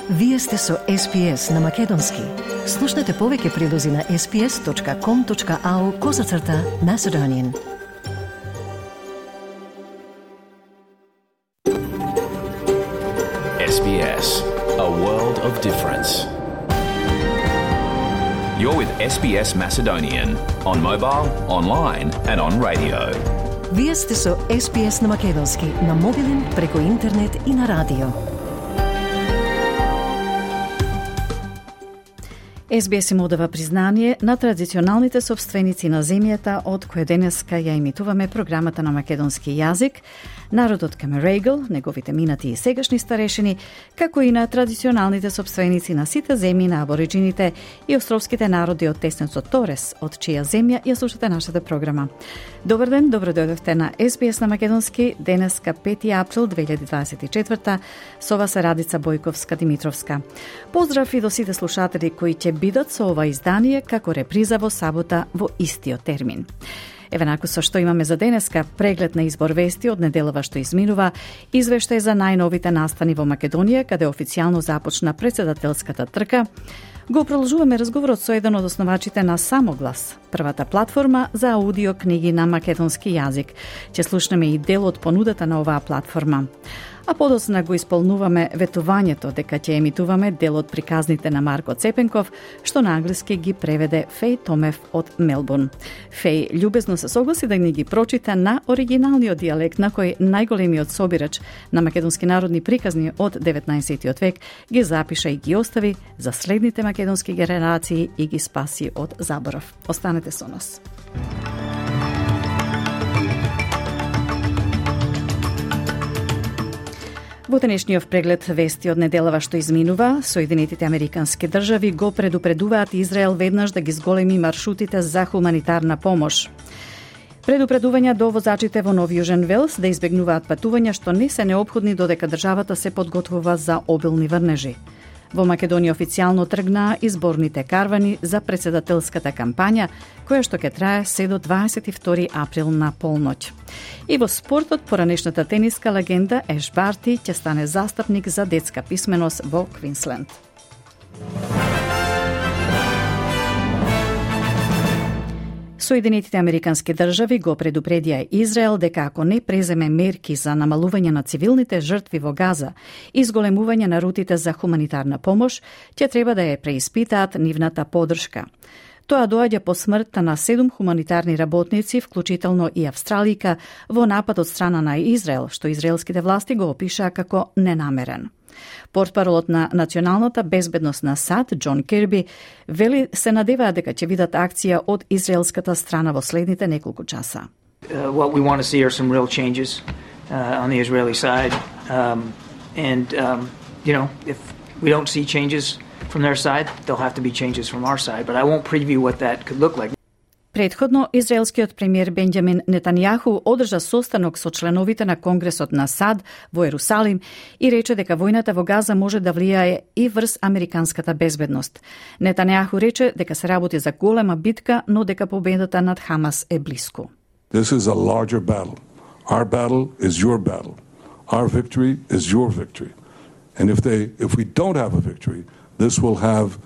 Вие сте со SPS на Македонски. Слушнете повеќе прилози на sps.com.au/Macedonian. SBS, a world of difference. You're with SBS Macedonian on mobile, online and on radio. Вие сте со SPS на Македонски на мобилен, преку интернет и на радио. SBS им одава признание на традиционалните собственици на земјата од која денеска ја емитуваме програмата на македонски јазик, народот Камерегл, неговите минати и сегашни старешини, како и на традиционалните собственици на сите земји на абориджините и островските народи од теснецот Торес, од чија земја ја слушате нашата програма. Добар ден, добро дојдовте на SBS на македонски, денеска 5 април 2024, со вас е Радица Бојковска-Димитровска. Поздрав и до сите слушатели кои ќе бидат со ова издание како реприза во сабота во истиот термин. Еве наку со што имаме за денеска: преглед на избор вести од неделава што изминува, извештај за најновите настани во Македонија, каде официјално започна претседателската трка. Го продолжуваме разговорот со еден од основачите на Самоглас, првата платформа за аудио книги на македонски јазик. Ќе слушнеме и дел од понудата на оваа платформа. А подоцна го исполнуваме ветувањето дека ќе емитуваме дел од приказните на Марко Цепенков, што на англиски ги преведе Феј Томев од Мелбурн. Феј љубезно се согласи да ни ги прочита на оригиналниот дијалект на кој најголемиот собирач на македонски народни приказни од 19 век ги запиша и ги остави за следните македонски генерации и ги спаси од заборав. Останете со нас. Во денешниот преглед вести од неделава што изминува, Соединетите Американски држави го предупредуваат Израел веднаш да ги зголеми маршрутите за хуманитарна помош. Предупредувања до возачите во Нов Јужен Велс да избегнуваат патувања што не се неопходни додека државата се подготвува за обилни врнежи. Во Македонија официјално тргнаа изборните карвани за претседателската кампања, која што ќе трае се до 22 април на полноќ. И во спортот, поранешната тениска легенда Еш Барти ќе стане застапник за детска писменост во Квинсленд. Соединетите Американски држави го предупредија Израел дека ако не преземе мерки за намалување на цивилните жртви во Газа и зголемување на рутите за хуманитарна помош, ќе треба да ја преиспитаат нивната поддршка. Тоа доаѓа по смртта на 7 хуманитарни работници, вклучително и австралика, во напад од страна на Израел, што израелските власти го опишаа како ненамерен. Портпаролот на националната безбедност на САД, Џон Кирби, вели се надеваа дека ќе видат акција од израелската страна во следните неколку часа. What we want to see are some real changes on the Israeli side, if we don't see changes from their side, there'll have to be changes from our side, but I won't preview what that could look like. Предходно, израелскиот премиер Бенџамин Нетањаху одржа состанок со членовите на Конгресот на САД во Ерусалим и рече дека војната во Газа може да влијае и врз американската безбедност. Нетањаху рече дека се работи за голема битка, но дека победата над Хамас е блиску. This is a larger battle. Our battle is your battle. Our victory is your victory. And if we don't have a victory, this will have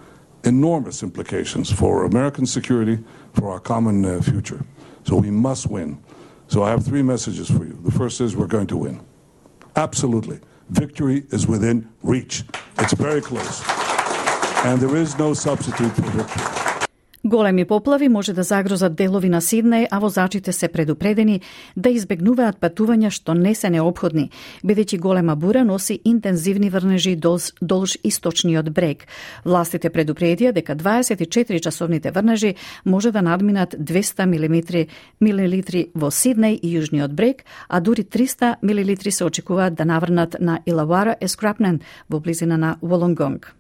enormous implications for American security, for our common future. So we must win. So I have 3 messages for you. The first is we're going to win. Absolutely. Victory is within reach. It's very close. And there is no substitute for victory. Големи поплави може да загрозат делови на Сиднеј, а возачите се предупредени да избегнуваат патувања што не се неопходни, бидејќи голема бура носи интензивни врнежи долж источниот брег. Властите предупредија дека 24-часовните врнежи може да надминат 200 милилитри во Сиднеј и јужниот брег, а дури 300 милилитри се очекуваат да наврнат на Илауара Ескрапнен во близина на Волонгонг.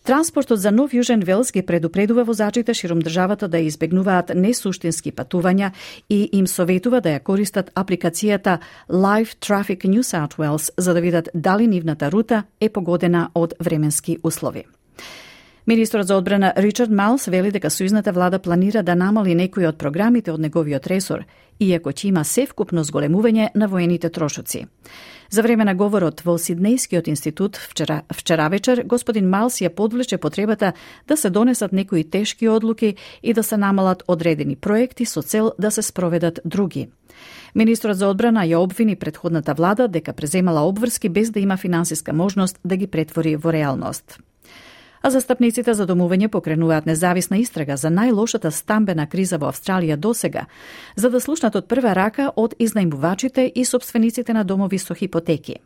Транспортот за Нов Јужен Велс ги предупредува возачите широм државата да избегнуваат несуштински патувања и им советува да ја користат апликацијата Live Traffic New South Wales за да видат дали нивната рута е погодена од временски услови. Министрот за одбрана Ричард Малс вели дека сојузната влада планира да намали некои од програмите од неговиот ресор, иако ќе има севкупно зголемување на воените трошоци. За време на говорот во Сиднејскиот институт вчера вечер, господин Малс ја подвлече потребата да се донесат некои тешки одлуки и да се намалат одредени проекти со цел да се спроведат други. Министрот за одбрана ја обвини претходната влада дека преземала обврски без да има финансиска можност да ги претвори во реалност. А застапниците за домување покренуваат независна истрага за најлошата стамбена криза во Австралија досега, за да слушнат од прва рака од изнајмувачите и сопствениците на домови со хипотеки.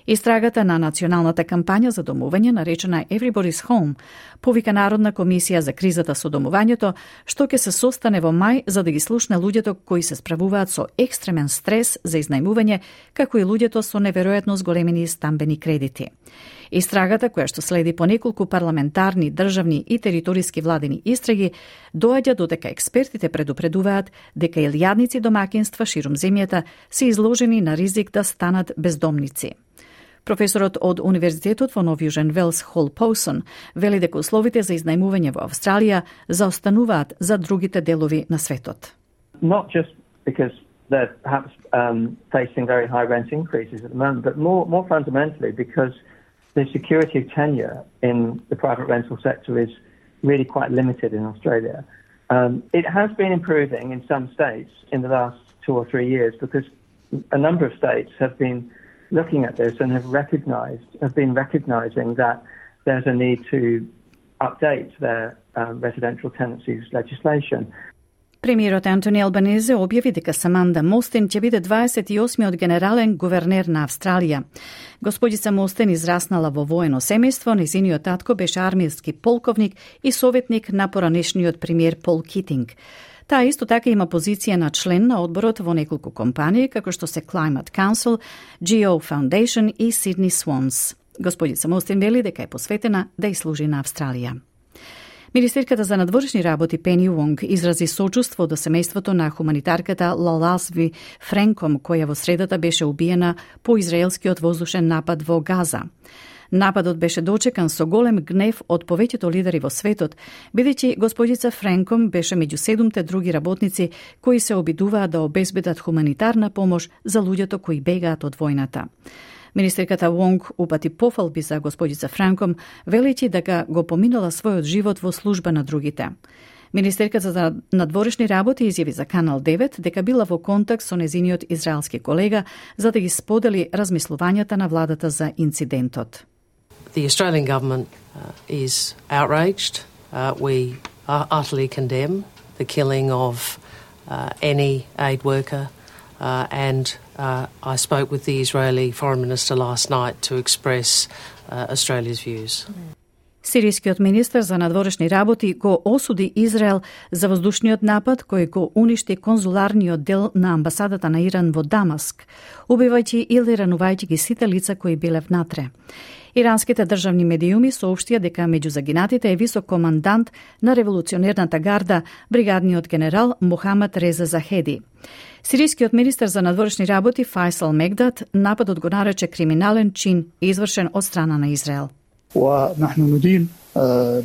Истрагата на националната кампања за домување, наречена Everybody's Home, повика Народна комисија за кризата со домувањето, што ќе се состане во мај за да ги слушне луѓето кои се справуваат со екстремен стрес за изнајмување, како и луѓето со неверојатно зголемени стамбени кредити. Истрагата, која што следи по неколку парламентарни, државни и териториски владени истраги, доаѓа додека експертите предупредуваат дека илјадници домакинства ширум земјата се изложени на ризик да станат бездомници. Професорот од Универзитетот во Нов Јужен Велс Хол Поусон вели дека условите за изнајмување во Австралија заостануваат за другите делови на светот. Not just because they're perhaps facing very high rent increases at the moment, but more fundamentally because the security of tenure in the private rental sector is really quite limited in Australia. It has been improving in some states in the last 2 or 3 years because a number of states have been looking at this and have been recognizing that there's a need to update their residential tenancies legislation. Премиерот Антони Албанезе објави дека Саманда Мостен ќе биде 28-миот генерален гувернер на Австралија. Господица Мостен израснала во воено семејство, незиниот татко беше армиски полковник и советник на поранешниот премиер Пол Китинг. Таа исто така има позиција на член на одборот во неколку компании, како што се Climate Council, Geo Foundation и Sydney Swans. Господица Мостен вели дека е посветена да служи на Австралија. Министерката за надворешни работи Пени Вонг изрази сочувство до семејството на хуманитарката Лаласви Френком, која во средата беше убиена по израелскиот воздушен напад во Газа. Нападот беше дочекан со голем гнев од повеќето лидери во светот, бидејќи господица Френком беше меѓу 7 други работници кои се обидуваат да обезбедат хуманитарна помош за луѓето кои бегаат од војната. Министерката Вонг упати пофалби за господица Франком, велејќи дека го поминала својот живот во служба на другите. Министерката за надворешни работи изјави за Канал 9 дека била во контакт со незиниот израелски колега за да ги сподели размислувањата на владата за инцидентот. The Australian government is outraged. We utterly condemn the killing of any aid worker and I spoke with the Israeli Foreign Minister last night to express Australia's views. Сирискиот министер за надворешни работи го осуди Израел за воздушниот напад кој го уништи конзуларниот дел на амбасадата на Иран во Дамаск, убивајќи или ранувајќи ги сите лица кои биле внатре. Иранските државни медиуми соопштија дека меѓу загинатите е висок командант на револуционерната гарда, бригадниот генерал Мохамед Реза Захеди. Сирискиот министер за надворешни работи Файсал Мегдат нападот го нарече криминален чин извршен од страна на Израел. ونحن ندين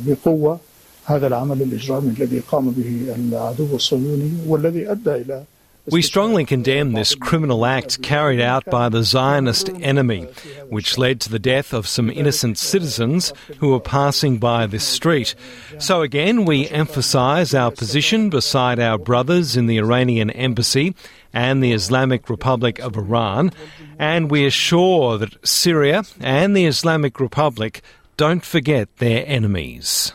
بقوة هذا العمل الإجرامي الذي قام به العدو الصهيوني والذي أدى إلى We strongly condemn this criminal act carried out by the Zionist enemy, which led to the death of some innocent citizens who were passing by this street. So again, we emphasise our position beside our brothers in the Iranian embassy and the Islamic Republic of Iran, and we assure that Syria and the Islamic Republic don't forget their enemies.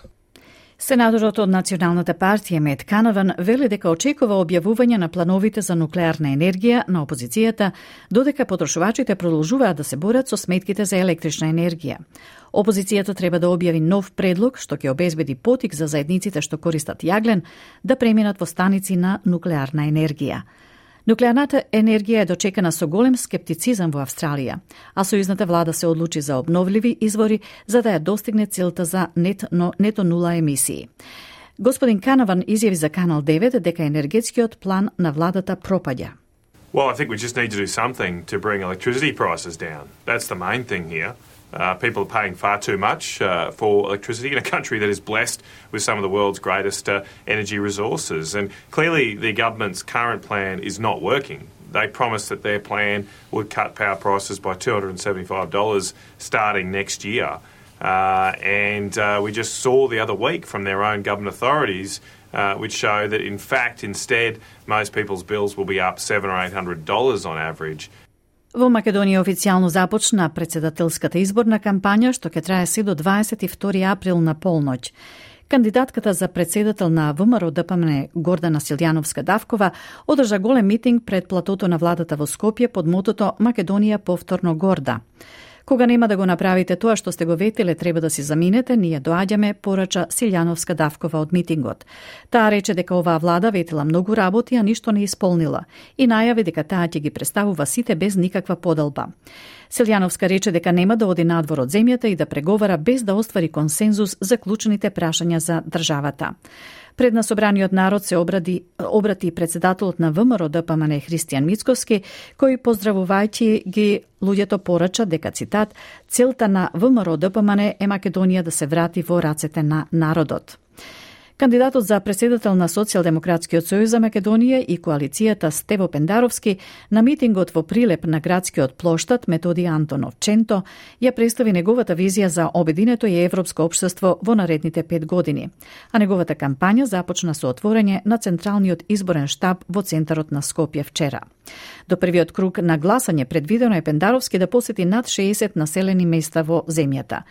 Сенаторот од Националната партија Мет Канаван вели дека очекува објавување на плановите за нуклеарна енергија на опозицијата, додека потрошувачите продолжуваат да се борат со сметките за електрична енергија. Опозицијата треба да објави нов предлог што ќе обезбеди потик за заедниците што користат јаглен да преминат во станици на нуклеарна енергија. Нуклеарната енергија е дочекана со голем скептицизам во Австралија, а сојузната влада се одлучи за обновливи извори за да ја достигне целта за нето нула емисии. Господин Канаван изјави за Канал 9 дека енергетскиот план на владата пропаѓа. Well, I think we just need to do something to bring electricity prices down. That's the main thing here. People are paying far too much for electricity in a country that is blessed with some of the world's greatest energy resources. And clearly the government's current plan is not working. They promised that their plan would cut power prices by $275 starting next year. We just saw the other week from their own government authorities which show that in fact instead most people's bills will be up $700 or $800 on average. Во Македонија официјално започна председателската изборна кампања што ќе трае се до 22 април на полноќ. Кандидатката за председател на ВМРО ДПМН Гордана Силјановска-Давкова одржа голем митинг пред платото на владата во Скопје под мотото Македонија повторно горда. Кога нема да го направите тоа што сте го ветиле, треба да си заминете, ние доаѓаме, порача Силјановска-Давкова од митингот. Таа рече дека оваа влада ветила многу работи, а ништо не исполнила и најави дека таа ќе ги представува сите без никаква подалба. Силјановска рече дека нема да оди надвор од земјата и да преговара без да оствари консензус за клучните прашања за државата. Пред на собраниот народ се обрати председателот на ВМРО ДПМН Христијан Мицковски, кој поздравувајќи ги луѓето порача дека, цитат, целта на ВМРО ДПМН е Македонија да се врати во рацете на народот. Кандидатот за председател на Социјалдемократскиот сојуз за Македонија и коалицијата Стево Пендаровски на митингот во Прилеп на градскиот плоштад Методи Антонов Ченто ја представи неговата визија за обединето и европско општество во наредните 5 години, а неговата кампања започна со отворање на Централниот изборен штаб во центарот на Скопје вчера. До првиот круг на гласање предвидено е Пендаровски да посети над 60 населени места во земјата.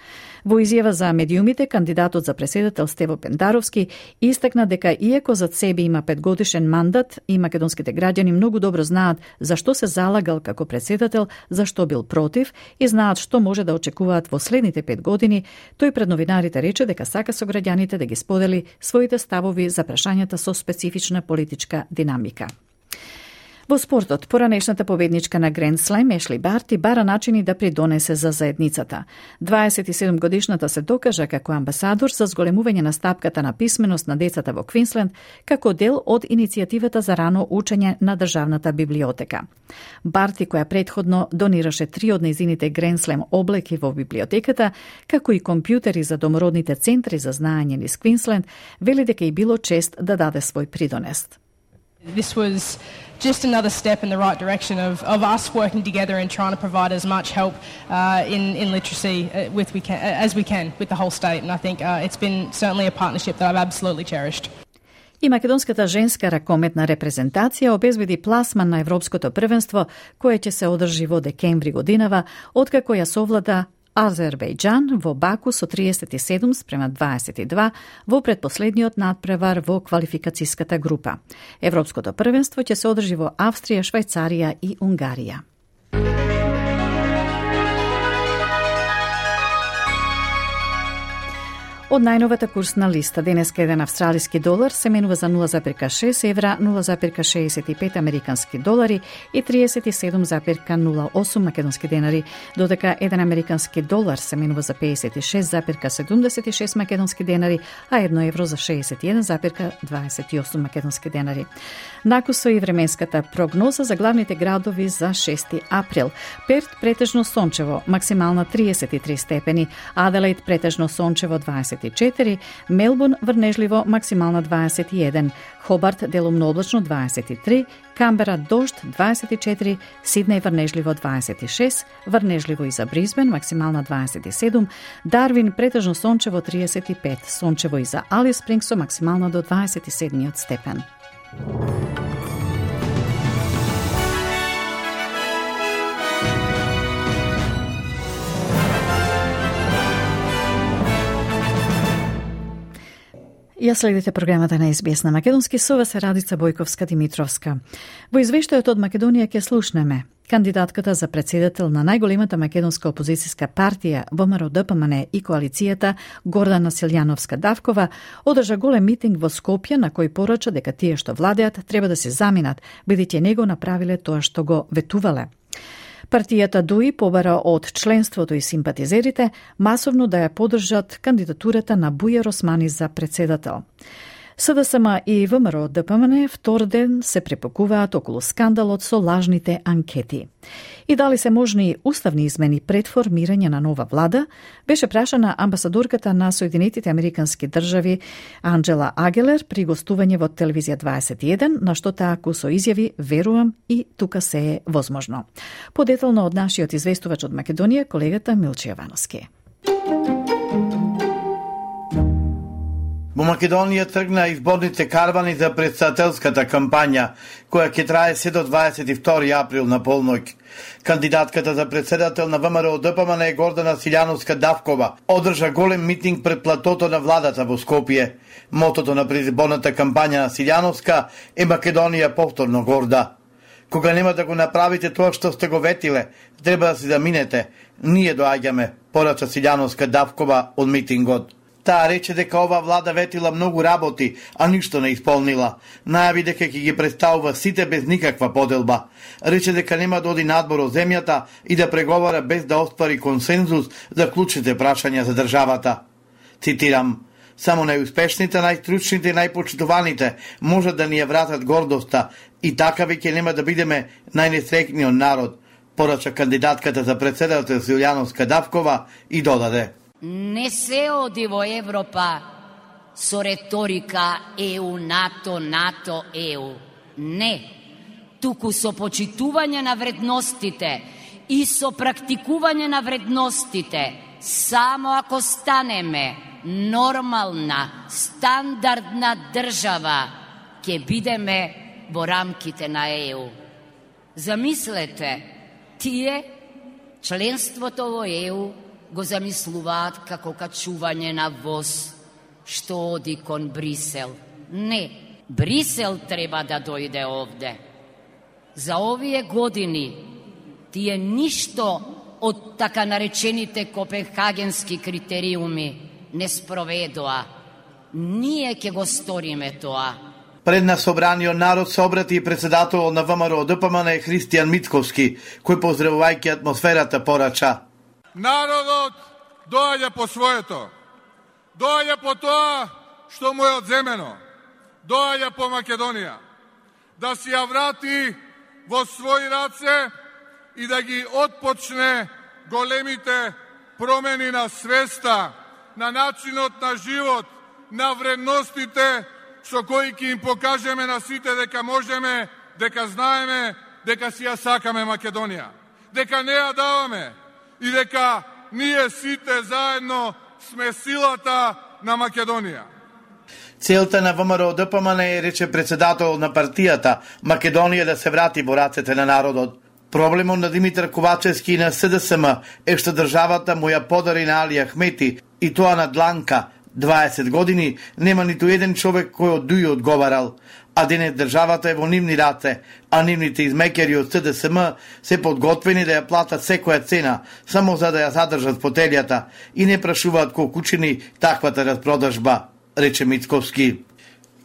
Во изјава за медиумите, кандидатот за председател Стево Пендаровски истакна дека иако зад себе има 5-годишен мандат и македонските граѓани многу добро знаат зашто се залагал како председател, зашто бил против и знаат што може да очекуваат во следните 5 години, тој пред новинарите рече дека сака со граѓаните да ги сподели своите ставови за прашањата со специфична политичка динамика. Во спортот, поранешната победничка на Гранд Слем Ешли Барти бара начини да придонесе за заедницата. 27-годишната се докажа како амбасадор за зголемување на стапката на писменост на децата во Квинсленд, како дел од иницијативата за рано учење на Државната библиотека. Барти, која претходно донираше 3 од нејзините Гранд Слем облеки во библиотеката, како и компјутери за домородните центри за знаење низ Квинсленд, вели дека и било чест да даде свој придонес. This was just another step in the right direction of us working together and trying to provide as much help in literacy as we can with the whole state. And I think it's been certainly a partnership that I've absolutely cherished. И македонската женска ракометна репрезентација обезбеди пласман на Европското првенство, кое ќе се одржи во декември годинава, откако ја совлада Азербејџан во Баку со 37-22 во предпоследниот надпревар во квалификацијската група. Европското првенство ќе се одржи во Австрија, Швајцарија и Унгарија. Од најновата курсна листа, денеска еден австралиски долар се менува за 0,6 евра, 0,65 американски долари и 37,08 македонски денари, додека еден американски долар се менува за 56,76 македонски денари, а 1 евро за 61,28 македонски денари. Накусо и временската прогноза за главните градови за 6 април. Перт претежно сончево, максимална 33 степени, Аделаид претежно сончево 24, Мелбурн врнежливо максимална 21, Хобарт делумно облачно 23, Камбера дожд 24, Сиднеј врнежливо 26, врнежливо и за Бризбен максимална 27, Дарвин претежно сончево 35, сончево и за Алис Спрингс максимално до 27 степен. Ја следите програмата на СБС на Македонски, со вас е Радица Бојковска-Димитровска. Во извештајот од Македонија ќе слушнеме кандидатката за председател на најголемата македонска опозицијска партија ВМРО ДПМН и коалицијата Гордана Силјановска-Давкова одржа голем митинг во Скопје на кој порача дека тие што владеат треба да се заминат, бидејќи него направиле тоа што го ветувале. Партијата ДУИ побара од членството и симпатизерите масовно да ја поддржат кандидатурата на Бујар Османи за председател. СДСМ и ВМРО ДПМН втор ден се препокуваат околу скандалот со лажните анкети. И дали се можни уставни измени пред формирање на нова влада, беше прашана амбасадорката на Соединетите Американски држави Анджела Агелер при гостување во Телевизија 21, на што таа кусо изјави: "Верувам и тука се е возможно." Подетално од нашиот известувач од Македонија, колегата Милче Јовановски. Во Македонија тргна изборните карвани за претседателската кампања, која ќе трае се до 22 април на полноќ. Кандидатката за претседател на ВМРО ДПМН е Гордана Силјановска-Давкова одржа голем митинг пред платото на владата во Скопје. Мотото на предизборната кампања на Силјановска е Македонија повторно горда. Кога нема да го направите тоа што сте го ветиле, треба да се заминете. Ние доаѓаме, порача Силјановска-Давкова од митингот. Таа рече дека ова влада ветила многу работи, а ништо не исполнила. Најави дека ќе ги представува сите без никаква поделба. Рече дека нема да оди надбор од земјата и да преговара без да оствари консензус за клучните прашања за државата. Цитирам: "Само најуспешните, најстручните и најпочитуваните можат да ни ја вратат гордоста и така веќе нема да бидеме најнесреќниот народ", порача кандидатката за претседател Силјановска-Давкова и додаде: "Не се оди во Европа со реторика ЕУ, НАТО, НАТО, ЕУ. Не, туку со почитување на вредностите и со практикување на вредностите. Само ако станеме нормална, стандардна држава, ќе бидеме во рамките на ЕУ." Замислете, тие членството во ЕУ го замислуваат како качување на воз што оди кон Брисел. Не, Брисел треба да дојде овде. За овие години тие ништо од така наречените копенхагенски критериуми не спроведоа. Ние ќе го сториме тоа. Пред на собраниот народ се обрати и претседател на ВМРО ДПМН Христијан Мицковски, кој поздравувајќи атмосферата порача: "Народот доаѓа по своето. Доаѓа по тоа што му е одземено. Доаѓа по Македонија. Да си ја врати во своји раце и да ги отпочне големите промени на свеста, на начинот на живот, на вредностите со кои ќе им покажеме на сите дека можеме, дека знаеме, дека си ја сакаме Македонија, дека не ја даваме и дека ние сите заедно сме силата на Македонија." Целта на ВМРО ДПМН е, рече претседател на партијата, Македонија да се врати во рацете на народот. Проблемот на Димитар Ковачевски и на СДСМ е што државата му ја подари на Али Ахмети, и тоа на дланка. 20 години нема ниту еден човек кој од дуи одговарал, а денес државата е во нивни раце, а нивните измекери од СДСМ се подготвени да ја платат секоја цена, само за да ја задржат фотелјата и не прашуваат колку учини таквата распродажба, рече Мицковски.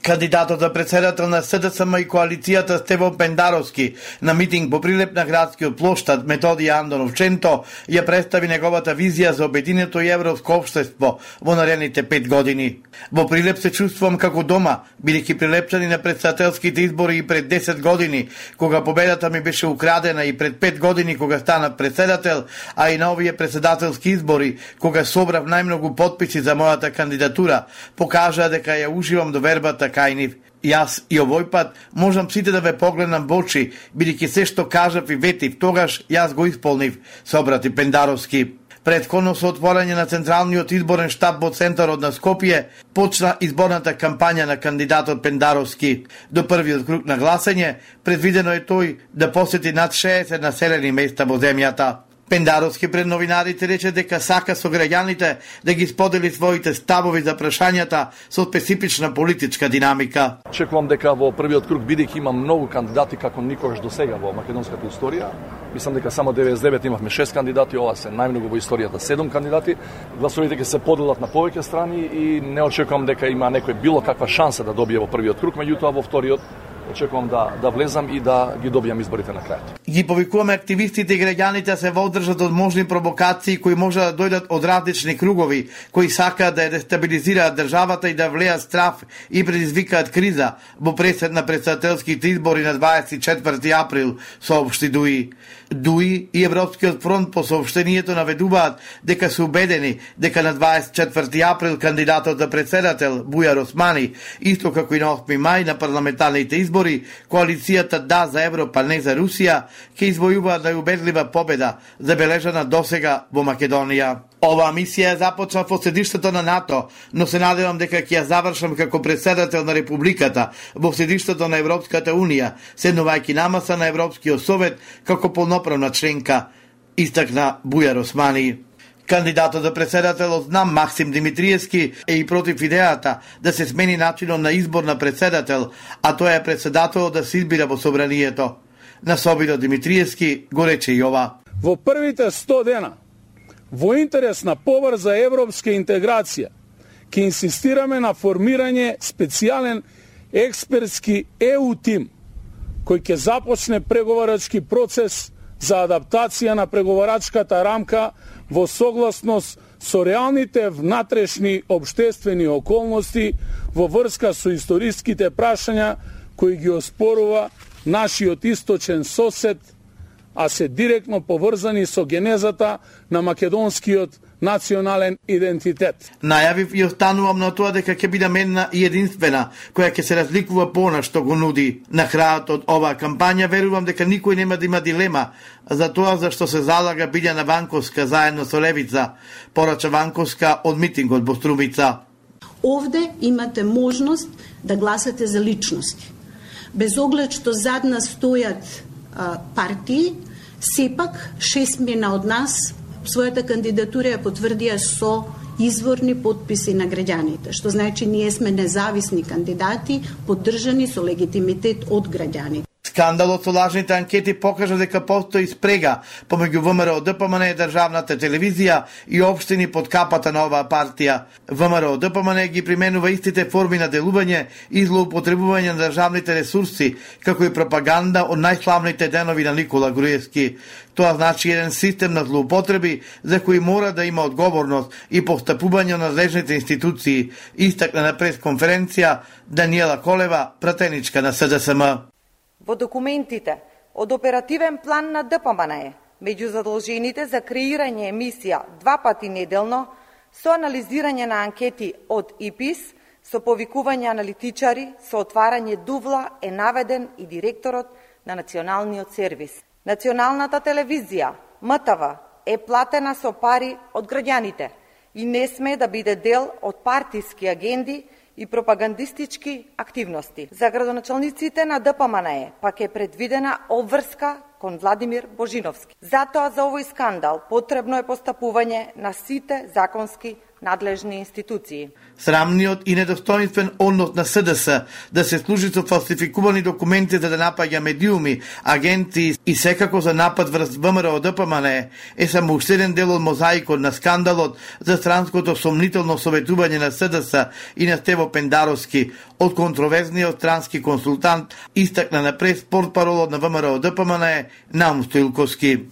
Кандидатот за претседател на СДСМ и коалицијата Стевон Пендаровски на митинг по Прилеп на градскиот плоштад Методија Андонов Ченто ја представи неговата визија за обединето и европско општество во наредните 5 години. Во Прилеп се чувствувам како дома, бидејќи прилепчани на претседателските избори и пред 10 години, кога победата ми беше украдена, и пред 5 години кога станав претседател, а и на овие претседателски избори, кога собрав најмногу потписи за мојата кандидатура, покажаа дека ја уживам довербата кај нив. Јас и овој пат можам сите да ве погледнам во очи, бидејќи се што кажав и ветив, тогаш јас го исполнив, се обрати Пендаровски. Претходно со отворање на Централниот изборен штаб во центарот на Скопје, почна изборната кампања на кандидатот Пендаровски. До првиот круг на гласање, предвидено е тој да посети над 60 населени места во земјата. Пендаровски пред новинарите рече дека сака со граѓаните да ги сподели своите ставови за прашањата со специфична политичка динамика. Чекувам дека во првиот круг, бидејќи има многу кандидати како никогаш досега во македонската историја, мислам дека само 99 имавме 6 кандидати, ова се најмногу во историјата 7 кандидати. Гласовите ќе се поделат на повеќе страни и не очекувам дека има некој било каква шанса да добие во првиот круг, меѓутоа во вториот очекувам да влезам и да ги добијам изборите на крајот. Ги повикуваме активистите и граѓаните се водржат од можни провокации кои може да дојдат од различни кругови, кои сакаат да ја дестабилизираат државата и да влеат страф и предизвикаат криза во пресед на претседателските избори на 24 април, соопшти ДУИ. ДУИ и Европскиот фронт по сообщението наведуваат дека се убедени дека на 24 април кандидатот за председател Бујар Османи, исто како и на 8 мај на парламентарните избори, коалицијата Да за Европа, не за Русија, ќе извојуваат најубедлива победа забележана досега во Македонија. Оваа мисија започна во седиштето на НАТО, но се надевам дека ќе ја завршам како председател на Републиката во седиштето на Европската Унија, седнувајќи на маса на Европскиот совет како полноправна членка, истакна Бујар Османи. Кандидатот за председател од НАМ Максим Димитриевски е и против идејата да се смени начинот на избор на председател, а тоа е председателот да се избира во собранието. На Собиро Димитриевски го рече и ова. Во првите 100 дена, во интерес на побрза европска интеграција, ќе инсистираме на формирање специјален експертски ЕУ тим, кој ќе започне преговарачки процес за адаптација на преговарачката рамка во согласност со реалните внатрешни обштествени околности во врска со историските прашања кои ги оспорува нашиот источен сосед, а се директно поврзани со генезата на македонскиот национален идентитет. Најавив и останувам на тоа дека ќе биде една и единствена, која ќе се разликува по она што го нуди. На крајот од оваа кампања верувам дека никој нема да има дилема за тоа за што се залага Билјана Ванковска заедно со Левица, порача Ванковска од митингот во Струмица. Овде имате можност да гласате за личности. Без оглед што зад нас стојат партии, сепак 6 од нас својата кандидатура ја потврдија со изворни подписи на граѓаните, што значи ние сме независни кандидати, поддржани со легитимитет од граѓаните. Скандалот со лажните анкети покажа дека постои спрега помеѓу ВМРО ДПМН, државната телевизија и општини под капата на оваа партија. ВМРО ДПМН ги применува истите форми на делување и злоупотребување на државните ресурси, како и пропаганда од најславните денови на Никола Груевски. Тоа значи еден систем на злоупотреби за кои мора да има одговорност и постапување на надлежните институции, истакна на пресконференција Даниела Колева, пратеничка на СДСМ. Во документите од оперативен план на ДПМН меѓу задолжените за креирање емисија 2 пати неделно со анализирање на анкети од ИПИС, со повикување аналитичари, со отварање дувла е наведен и директорот на Националниот сервис. Националната телевизија, МТВ, е платена со пари од граѓаните и не сме да биде дел од партиски агенди и пропагандистички активности. За градоначалниците на ДПМН пак е предвидена обврска кон Владимир Божиновски. Затоа за овој скандал потребно е постапување на сите законски надлежни институции. Срамниот и недостоинствен однос на СДС да се служи со фалсификувани документи за да напаѓа медиуми, агенти и секако за напад врз ВМРО ДПМН е само уште еден дел од мозаикот на скандалот за странското сомнително советување на СДС и на Стево Пендаровски од контроверзниот странски консултант, истакна на прес портпаролот на ВМРО ДПМН Наум Стоилковски.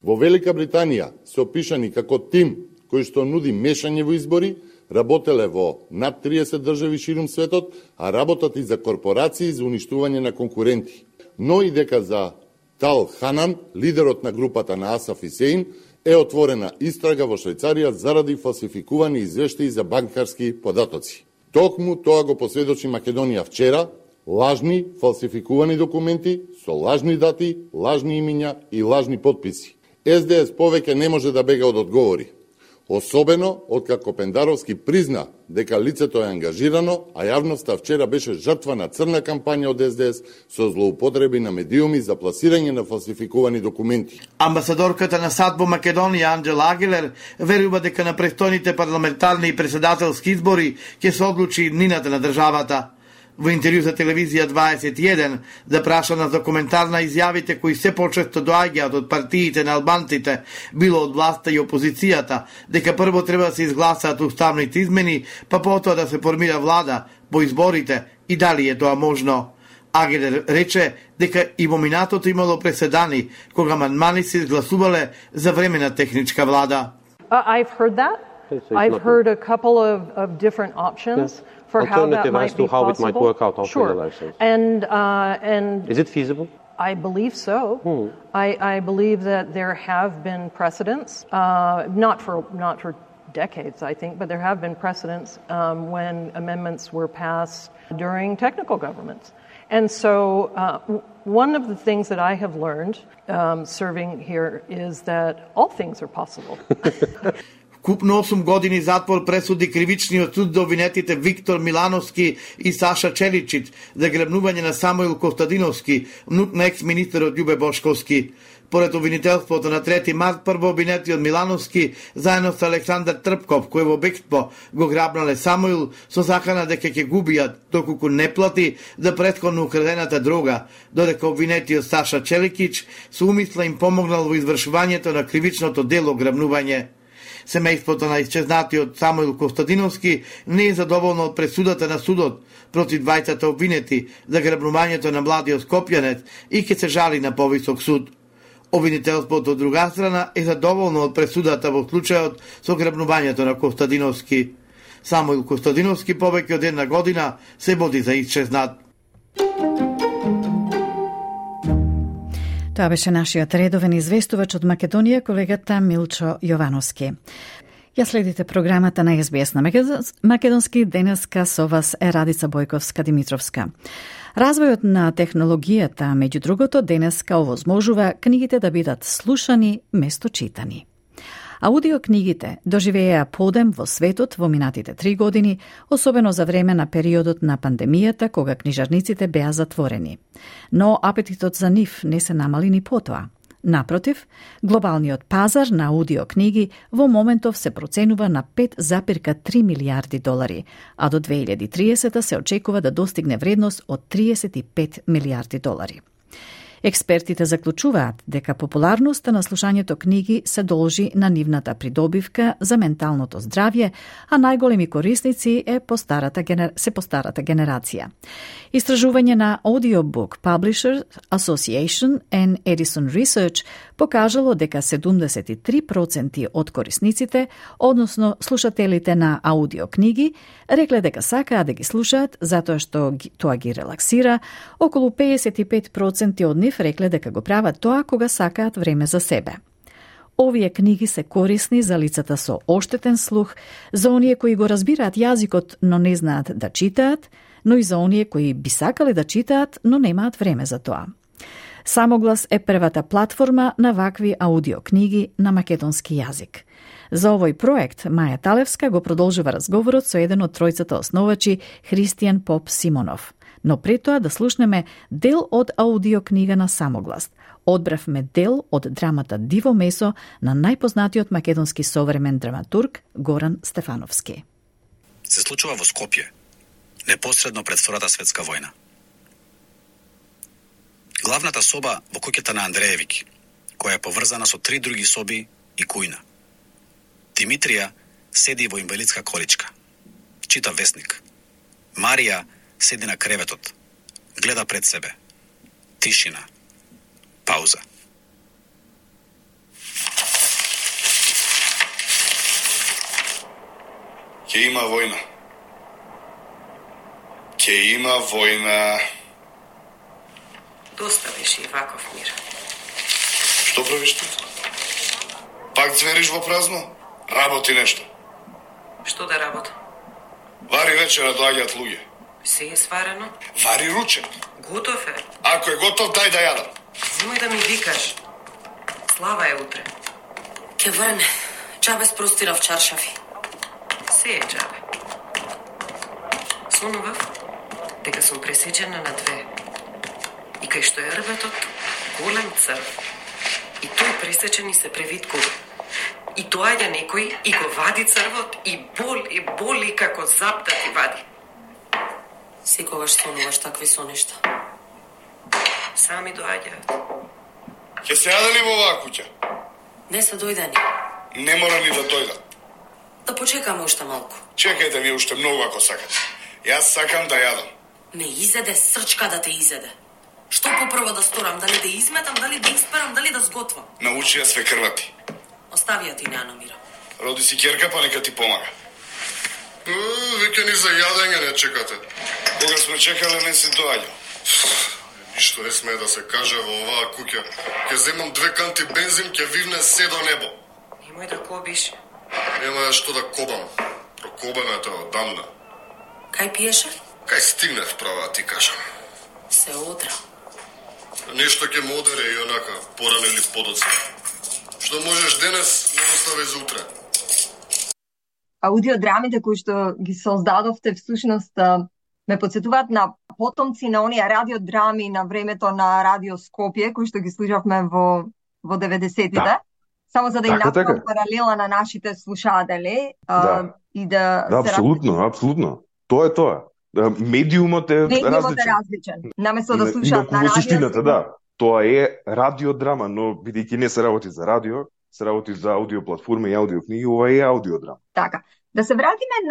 Во Велика Британија се опишани како тим кој што нуди мешање во избори, работеле во над 30 држави ширум светот, а работат и за корпорации за уништување на конкуренти. Но и дека за Тал Ханан, лидерот на групата на Асаф Исеин, е отворена истрага во Швајцарија заради фалсификувани извештаи за банкарски податоци. Токму тоа го посведочи Македонија вчера, лажни, фалсификувани документи со лажни дати, лажни имиња и лажни подписи. СДС повеќе не може да бега од одговори. Особено откако Пендаровски призна дека лицето е ангажирано, а јавноста вчера беше жртва на црна кампања од СДС со злоупотреби на медиуми за пласирање на фалсификувани документи. Амбасадорката на САД во Македонија Анджела Агилер верува дека на престојните парламентарни и председателски избори ќе се одлучи иднината на државата. Во интервју за телевизија 21, запрашана за коментар на изјавите кои се почесто доаѓаат од партиите на албанците, било од власта и опозицијата, дека прво треба да се изгласаат уставните измени, па потоа да се формира влада по изборите и дали е тоа можно. Агилер рече дека и во минатото имало преседани кога амандмани се изгласувале за времена техничка влада. I've heard that. I've heard a couple of different options for how that might be possible. How it might work out after the elections. And is it feasible? I believe so. I believe that there have been precedents, not for decades, I think, but there have been precedents when amendments were passed during technical governments. And so one of the things that I have learned serving here is that all things are possible. Купно 8 години затвор пресуди кривичниот суд до обвинетите Виктор Милановски и Саша Челичич за грабнување на Самуил Костадиновски, внук на екс-министерот Љубе Бошковски. Поред обвинителството на 3 март, прво обвинетиот Милановски заедно со Александар Трпков, кој во бегство го грабнале Самуил со закана дека ќе губијат доколку не плати за претходно украдената дрога, додека обвинетиот Саша Челичич со умисла им помогнал во извршувањето на кривичното дело грабнување. Семејството на исчезнатиот Самуил Костадиновски не е задоволно од пресудата на судот против двајцата обвинети за грабнувањето на младиот скопјанец и ќе се жали на повисок суд. Обвинителството од друга страна е задоволно од пресудата во случајот со грабнувањето на Костадиновски. Самуил Костадиновски повеќе од 1 година се води за исчезнат. Тоа беше нашиот редовен известувач од Македонија, колегата Милчо Јовановски. Ја следите програмата на СБС на Македонски. Денеска со вас е Радица Бојковска-Димитровска. Развојот на технологијата, меѓу другото, денеска овозможува книгите да бидат слушани место читани. Аудиокнигите доживееа подем во светот во минатите 3 години, особено за време на периодот на пандемијата, кога книжарниците беа затворени. Но апетитот за нив не се намали ни потоа. Напротив, глобалниот пазар на аудиокниги во моментов се проценува на 5,3 милијарди долари, а до 2030 се очекува да достигне вредност од 35 милијарди долари. Експертите заклучуваат дека популарноста на слушањето книги се должи на нивната придобивка за менталното здравје, а најголеми корисници се постарата генерација. Истражување на Audiobook Publishers Association and Edison Research покажало дека 73% од корисниците, односно слушателите на аудиокниги, рекле дека сакаат да ги слушаат затоа што тоа ги релаксира, околу 55% од нив рекле дека го прават тоа кога сакаат време за себе. Овие книги се корисни за лицата со оштетен слух, за оние кои го разбираат јазикот, но не знаат да читаат, но и за оние кои би сакале да читаат, но немаат време за тоа. Самоглас е првата платформа на вакви аудиокниги на македонски јазик. За овој проект Маја Талевска го продолжува разговорот со еден од тројцата основачи, Христијан Поп Симонов. Но пред тоа да слушнеме дел од аудиокнига на Самоглас. Одбравме дел од драмата Диво месо на најпознатиот македонски современ драматург Горан Стефановски. Се случува во Скопје, непосредно пред Втората светска војна. Главната соба во куќата на Андреевиќ, која е поврзана со 3 други соби и кујна. Димитрија седи во инвалидска количка. Чита весник. Марија седи на креветот. Гледа пред себе. Тишина. Пауза. Ќе има војна. Ќе има војна. Доста беше и ваков мир. Што правиш ти? Пак звериш во празно? Работи нешто. Што да работам? Вари вечера доаѓаат луѓе. Се е сварено? Вари ручек. Готов е. Ако е готов, дај да јадам. Зимај да ми викаш. Слава е утре. Ке врне. Джабе спростирав чаршафи. Се е джабе. Сонував дека сум пресечена на 2. И кај што е рбетот, голем црв. И тој пресечен и се превиткува. И доаѓа некој и го вади црвот и боли како зап да ти вади. Секогаш сонуваш такви сонешта. Сами доаѓаат. Ќе се јаде ли во оваа куќа? Не се дојдени. Не мора ни да дојдат. Да почекаме уште малку. Чекајте ви уште многу ако сакате. Јас сакам да јадам. Ме изеде срчка да те изеде. Што попрво да сторам? Дали да изметам, дали да исперам, дали да сготвам? Научи ја све крвати. Остави ја ти не намира. Роди си ќерка, па нека ти помага. Веќе ни за јадење не чекате. Кога сме чекале не се доаѓа. Што не смее да се каже во оваа куќа. Ќе земам 2 канти бензин, ќе вивне се до небо. Немој да кобиш. Нема што да кобам. Прокобана е тоа одамна. Кај пиеше? Кај стигнав права, ти кажам. Се одра. Нешто ќе ме одере и онака, порано или подоцна. Што можеш денес, не остави за утре. Аудиодрамите кои што ги создадовте всушност ме подсетуваат на потомци на оние радиодрами на времето на Радио Скопје, кои што ги слушавме во 90-тите. Да. Само за да им направам паралела на нашите слушатели и да апсолутно. Тоа е тоа. Медиумот е различен. Наместо да слушаат на радио. Да. Тоа е радиодрама, но бидејќи не се работи за радио, се работи за аудиоплатформа и аудиокниги, ова е аудиодрама. Така. Да се вратиме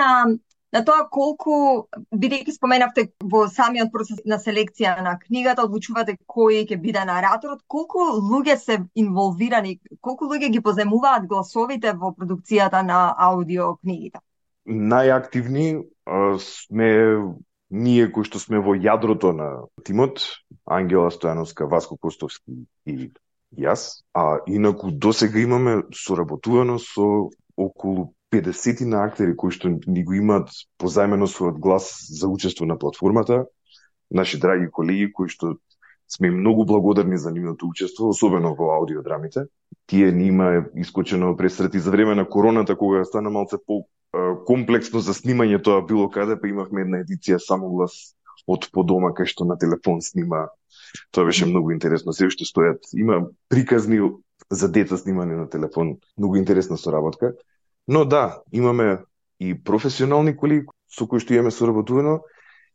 на тоа колку, бидејќи споменавте во самиот процес на селекција на книгата, одлучувате кој ќе биде нараторот, колку луѓе се инволвирани, колку луѓе ги поземуваат гласовите во продукцијата на аудиокнигите? Најактивни сме ние кои што сме во јадрото на тимот, Ангела Стојановска, Васко Костовски и јас, а инаку досега имаме соработувано со околу 50 на актери кои што ни го имаат позајмено својот глас за учество на платформата, наши драги колеги кои што сме многу благодарни за нивното учество, особено во аудиодрамите. Тие ни има искочено пресрети за време на короната, кога стана малце комплексно за снимање тоа било каде, па имавме една едиција само глас од по дома кај што на телефон снима. Тоа беше многу интересно. Се уште стојат, има приказни за деца снимани на телефон, многу интересна соработка. Но да, имаме и професионални колеги со кои што имаме соработувано,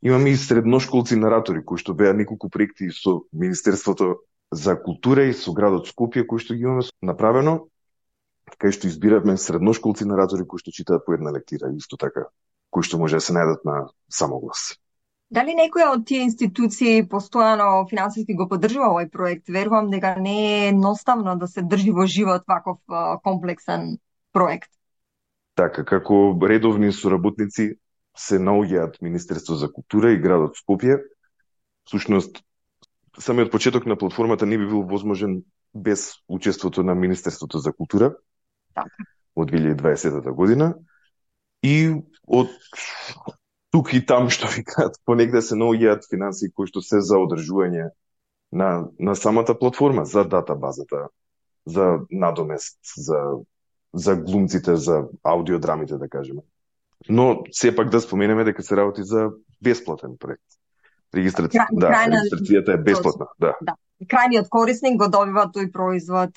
имаме и средношколци наратори кои што беа неколку проекти со Министерството за култура и со градот Скопје кои што ги имаме направено, кај што избиравме средношколци наратори кои што читаат по една лектира, исто така, кои што може да се најдат на самоглас. Дали некоја од тие институции постојано финансиски го поддржува овој проект? Верувам дека не е едноставно да се држи во живот ваков комплексен проект. Така, како редовни соработници се наоѓаат Министерство за култура и градот Скопје. Всушност, самиот почеток на платформата не би бил возможен без учеството на Министерството за култура од 2020 година. И од тук и там, што викаат, понегде се наоѓаат финансии кои што се за одржување на самата платформа, за датабазата, за надомест, за глумците, за аудиодрамите, да кажеме. Но сепак да споменеме дека се работи за бесплатен проект. Регистрацијата е бесплатна. Да. Крајниот корисник го добива тој производ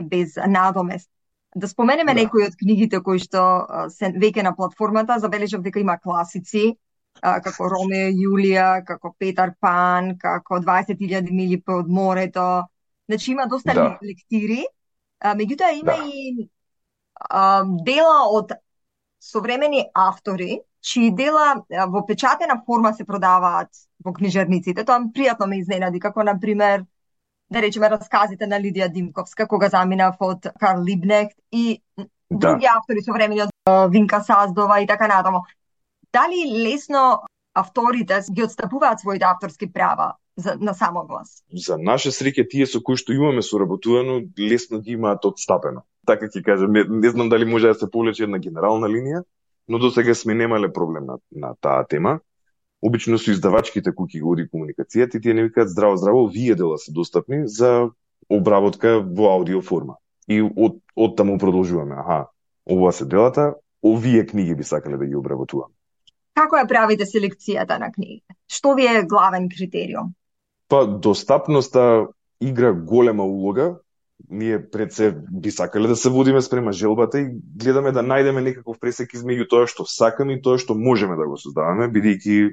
без надомест. Да споменеме некои од книгите кои што се веќе на платформата, забележав дека има класици, како Ромео и Јулија, како Петар Пан, како 20.000 мили под морето. Значи има доста лектири, меѓутоа има и дела од современи автори, чии дела во печатена форма се продаваат во книжарниците. Тоа пријатно ме изненади, како на пример, да речеме, расказите на Лидија Димковска, кога заминав од Карл Либнехт и други автори современи од Винка Саздова и така натаму. Дали лесно авторите ги отстапуваат своите авторски права на самоглас? За наше среќа, тие со кои што имаме соработувано, лесно ги имаат отстапено. Така ќе кажам, не знам дали може да се повлече една генерална линија, но до сега сме немале проблем на таа тема. Обично со издавачките куќи го оди комуникацијата и тие не викаат здраво, вие дела се достапни за обработка во аудио форма. И од таму продолжуваме. Ова се делата, овие книги би сакале да ги обработуваме. Како ја правите селекцијата на книгите? Што ви е главен критериум? Па, достапноста игра голема улога. Ние пред се би сакале да се водиме спрема желбата и гледаме да најдеме некаков пресек измеѓу тоа што сакаме и тоа што можеме да го создаваме, бидејќи,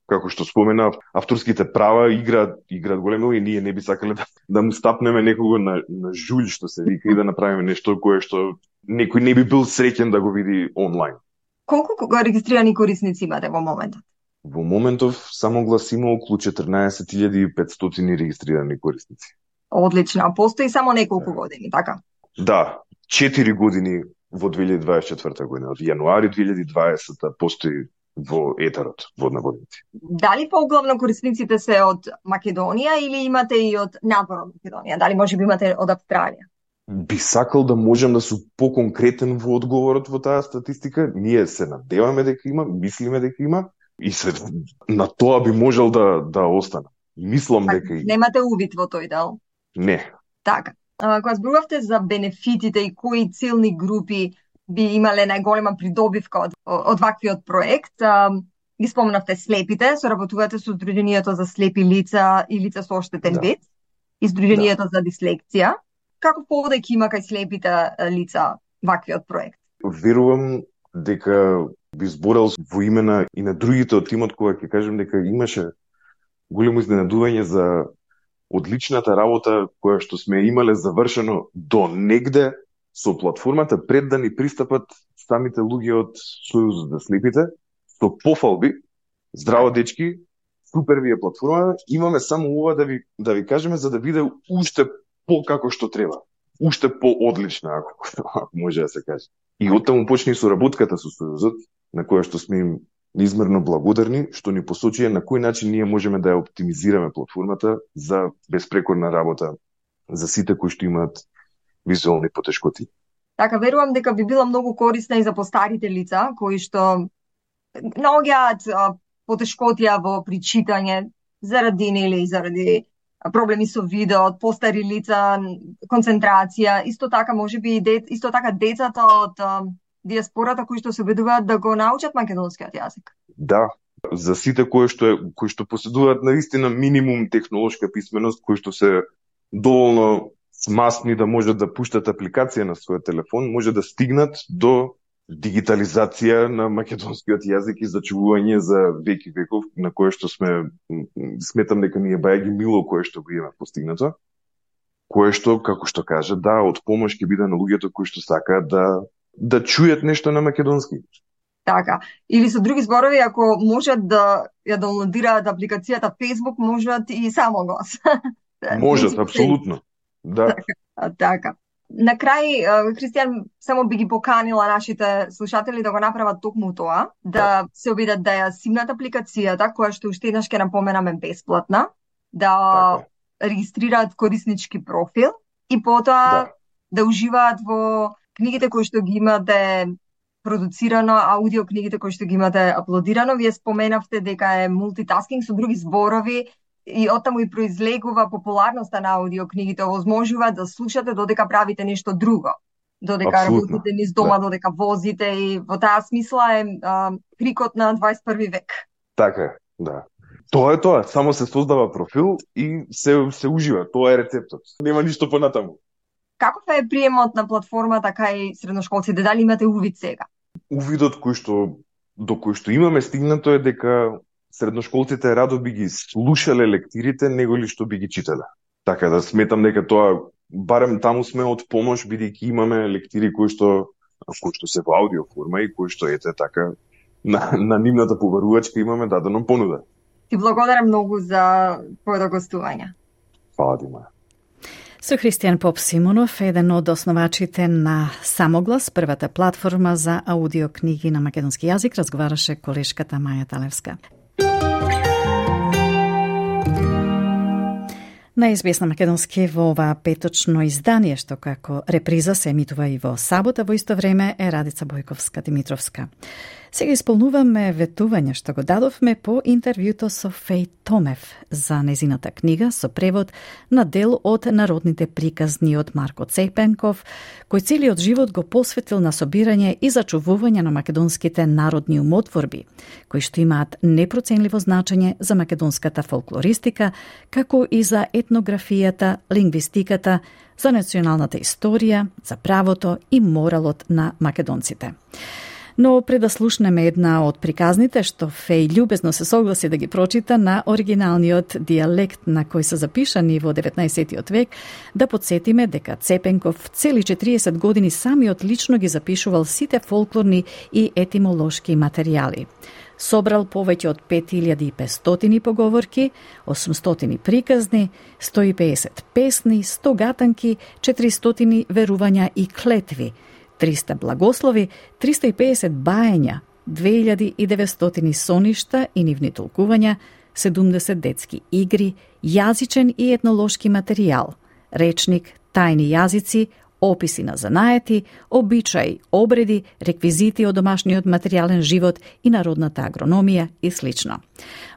како што спомена, авторските права играат голема улога и ние не би сакале да му стапнеме некого на жулј, што се вика, и да направиме нешто кое што некој не би бил среќен да го види онлайн. Колку регистрирани корисници имате во моментот? Во моментов само глас има околу 14.500 регистрирани корисници. Одлично. Постои само неколку години, така? Да, 4 години во 2024 година. Од јануари 2020 постои во етерот, водноводници. Дали поглавно корисниците се од Македонија или имате и од надвор од Македонија? Дали може би имате од Австралија? Би сакал да можам да сум поконкретен во одговорот во таа статистика. Ние се надеваме дека има, мислиме дека има и се на тоа би можел да остана. Мислам дека има. Немате увид во тој дел? Не. Така. Кога зборувавте за бенефитите и кои целни групи би имале најголема придобивка од ваквиот проект, ги спомнавте слепите, соработувате со Сдруженијето за слепи лица и лица со оштетен вид и Сдруженијето за дислексија. Како поводек има кај слепите лица ваквиот проект? Верувам дека би зборел во имена и на другите од тимот кога ќе кажем дека имаше големо изненадување за одличната работа која што сме имале завршено до негде со платформата пред да ни пристапат самите луѓе од Сојузот за слепите, со пофалби, здраво дечки, супер ви е платформа, имаме само ова да ви кажеме за да биде уште како што треба. Уште по-одлична, ако може да се каже. И оттаму почне и соработката со Сојузот, на која што сме им неизмерно благодарни, што ни посочи на кој начин ние можеме да ја оптимизираме платформата за безпрекорна работа за сите кои што имаат визуелни потешкоти. Така, верувам дека би била многу корисна и за постарите лица, кои што наоѓаат потешкотија во причитање заради или заради проблеми со видеот, постари лица, концентрација, исто така можеби исто така децата од диаспората кои што се обидуваат да го научат македонскиот јазик. Да, за сите кои што поседуваат наистина минимум технолошка писменост, кои што се доволно смасни да можат да пуштат апликација на својот телефон, може да стигнат до дигитализација на македонскиот јазик и зачувување за веки веков, на кое што сметам дека ни е бајаги мило кое што го има постигнато, кое што, како што кажа, да, од помош ќе биде на луѓето кои што сакаат да чујат нешто на македонски. Така, или со други зборови, ако можат да ја даунлодираат апликацијата Facebook, можат и само глас. Можат, апсолутно. Да. Така. На крај, Христијан, само би ги поканила нашите слушатели да го направат токму тоа, да се обидат да ја симнат апликацијата, која што уште еднаш ќе напоменаме бесплатна, да регистрираат кориснички профил и потоа да уживаат во книгите кои што ги имате продуцирано, аудио книгите кои што ги имате аплодирано. Вие споменавте дека е мултитаскинг, со други зборови, и оттаму и произлегува популарноста на аудиокнигите, овозможува да слушате додека правите нешто друго. Додека работите низ дома, додека возите, и во таа смисла е крикот на 21 век. Така, да. Тоа е тоа, само се создава профил и се ужива, тоа е рецептот. Нема ништо понатаму. Каков е приемот на платформата кај средношколците? Дали имате увид сега? Увидот до кој што имаме стигнато е дека средношколците радо би ги слушале лектирите, него ли што би ги читале. Така да сметам дека тоа, барем таму сме од помош, бидејќи имаме лектири кои што се во аудио форма и кои што ете така на нивната побарувачка имаме дадено понуда. Ти благодарам многу за твоето гостување. Фала ти, Маја. Со Христијан Поп Симонов, еден од основачите на Самоглас, првата платформа за аудиокниги на македонски јазик, разговараше колешката Маја Талевска. На СБС на македонски во ова петочно издание, што како реприза се емитува и во сабота, во исто време е Радица Бојковска-Димитровска. Сега исполнуваме ветување што го дадовме по интервјуто со Феј Томев за незината книга со превод на дел од народните приказни од Марко Цепенков, кој целиот живот го посветил на собирање и зачувување на македонските народни умотворби, кои што имаат непроценливо значење за македонската фолклористика, како и за етнографијата, лингвистиката, за националната историја, за правото и моралот на македонците. Но пред да слушнеме една од приказните, што Феј љубезно се согласи да ги прочита на оригиналниот дијалект на кој се запишани во 19. век, да подсетиме дека Цепенков цели 40 години самиот лично ги запишувал сите фолклорни и етимолошки материјали. Собрал повеќе од 5500 поговорки, 800 приказни, 150 песни, 100 гатанки, 400 верувања и клетви, 300 благослови, 350 баења, 2900 соништа и нивни толкувања, 70 детски игри, јазичен и етнолошки материјал, речник, тајни јазици, описи на занаети, обичаи, обреди, реквизити од домашниот материјален живот и народната агрономија и слично.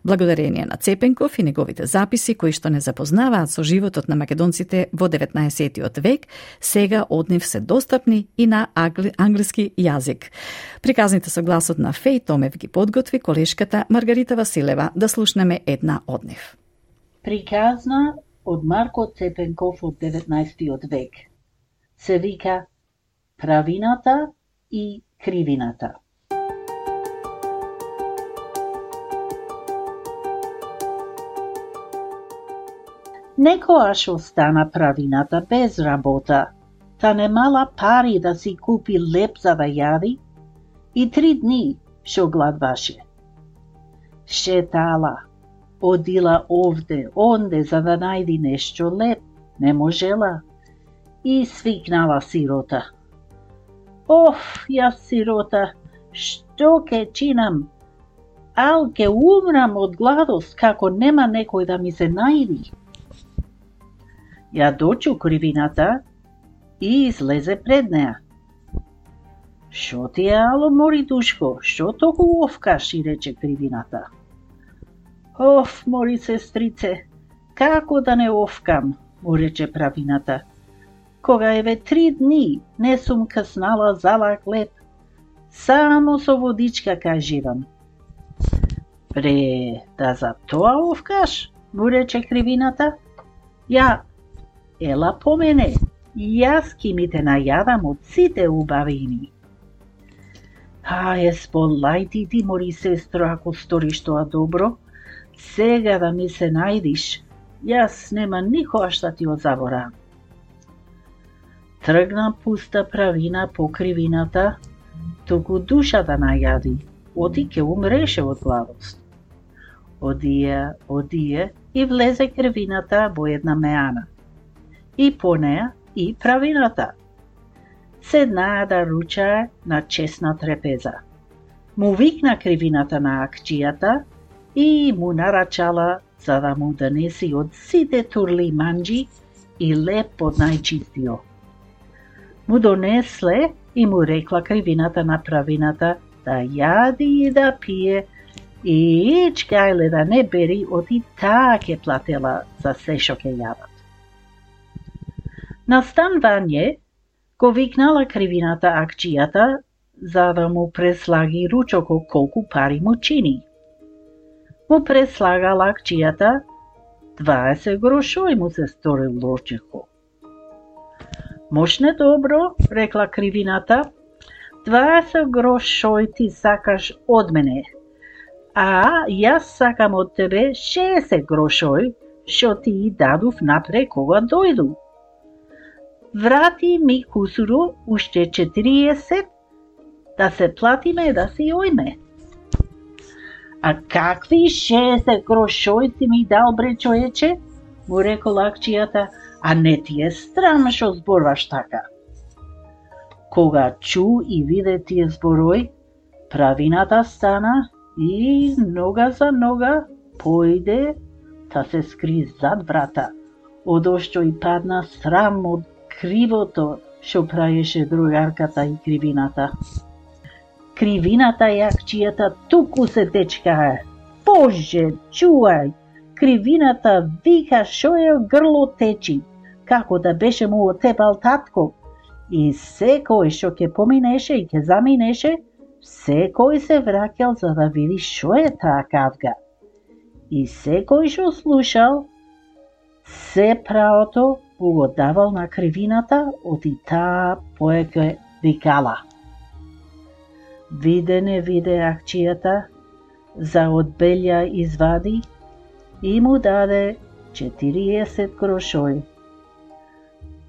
Благодарение на Цепенков и неговите записи кои што не запознаваат со животот на македонците во 19 век, сега од нив се достапни и на англиски јазик. Приказните со гласот на Феј Томев ги подготви колешката Маргарита Василева, да слушнеме една од нив. Приказна од Марко Цепенков од 19 век. Се вика Правината и Кривината. Некојаш остана Правината без работа, та немала пари да си купи леп за да јади и 3 дни шо гладваше. Шетала, одила овде, онде за да најди нешто леп, не можела. И свикнала сирота. Оф, јас сирота, што ке чинам? Ал ке умрам од гладост, како нема некој да ми се најди. Ја дочу Кривината и излезе пред неа. Шо ти е, ало, мори душко, шо толку овкаш, и рече Кривината. Оф, мори сестрице, како да не овкам, му рече Правината. Кога еве 3 дни не сум каснала зала хлеб, само со водичка каживам. Пре, да за тоа овкаш, му рече Кривината. Ја, ела по мене, јас ки ми те најадам од сите убавини. Сполај ти, мори сестро, ако сториш тоа добро, сега да ми се најдиш, јас нема никогаш да ти одзаборавам. Тргна пуста Правина по Кривината, туку душа да најади, оди ке умреше од гладост. Одие и влезе Кривината во една меана. И по неа и Правината. Седнаа да ручае на чесна трепеза. Му викна Кривината на акчијата и му нарачала за да му донеси од сите турли манџи и леп од најчистиот. Му донесле и му рекла Кривината на Правината да јади и да пие и ичкајле да не бери, оти таа ке платела за се шо ке јадат. На станвање го викнала Кривината акчијата за да му преслаги ручоко колку пари му чини. Му преслагала акчијата 20 грошој му се сторил ручеко. Мошне добро, рекла Кривината, 20 грошој ти сакаш од мене, а јас сакам од тебе 60 грошој, шо ти дадов напре кога дојду. Врати ми кусуро уште 40, да се платиме да си ојме. А какви 60 грошој ти ми дал, бре човече? Му рекола акчијата, а не ти е страм шо зборваш така. Кога чу и виде тие зборој, Правината стана и нога за нога појде та се скри зад врата, одошто и падна срам од кривото шо праеше другарката и Кривината. Кривината и акчијата туку се течкае. Боже, чувај! Кривината вика шо е грло течи, како да беше му отепал татко. И секој шо ке поминеше и ке заминеше, секој се враќал за да види шо е таа кавга. И секој шо слушал, се правото го давал на Кривината, оти таа поеќе викала. Виде не виде акчијата, за одбелја извади и му даде 40 грошој.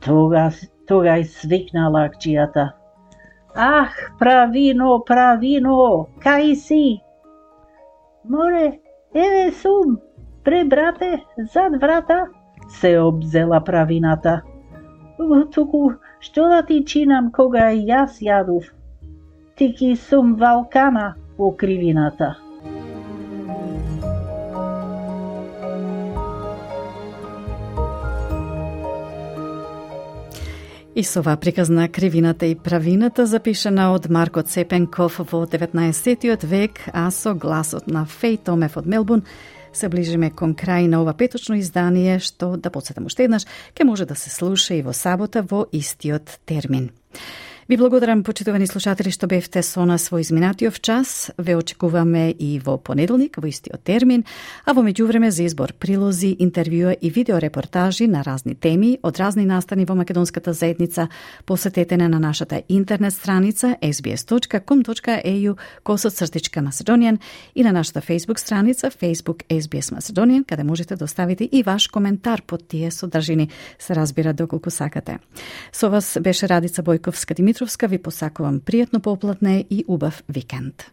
Тога свикнала акчијата. Ах, Правино, Правино, кај си? Море, еве сум, пре брате, зад врата, се обзела Правината. Туку, што да ти чинам кога јас јадов? Ти ки сум валкана, по кривината. И со оваа приказ на кривината и правината, запишана од Марко Цепенков во 19. век, а со гласот на Феј Томев од Мелбурн, се ближиме кон крај на ова петочно издание, што, да подсетам уште еднаш, ке може да се слуша и во сабота во истиот термин. Ви благодарам, почитувани слушатели, што бевте со нас во изминатиот час. Ве очекуваме и во понеделник, во истиот термин, а во меѓувреме за избор прилози, интервјуа и видеорепортажи на разни теми од разни настани во македонската заедница, посетете на нашата интернет страница sbs.com.au/Macedonian и на нашата Facebook страница Facebook SBS Macedonian, каде можете да оставите и ваш коментар под тие содржини, се разбира доколку сакате. Со вас беше Радица Бојковска-Димитровска, ви посакувам пријатно поплатне и убав викенд.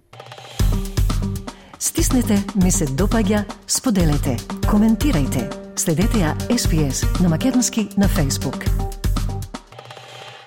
Стиснете, ми се допаѓа, споделете, коментирајте. Следете ја SBS на македонски на Facebook.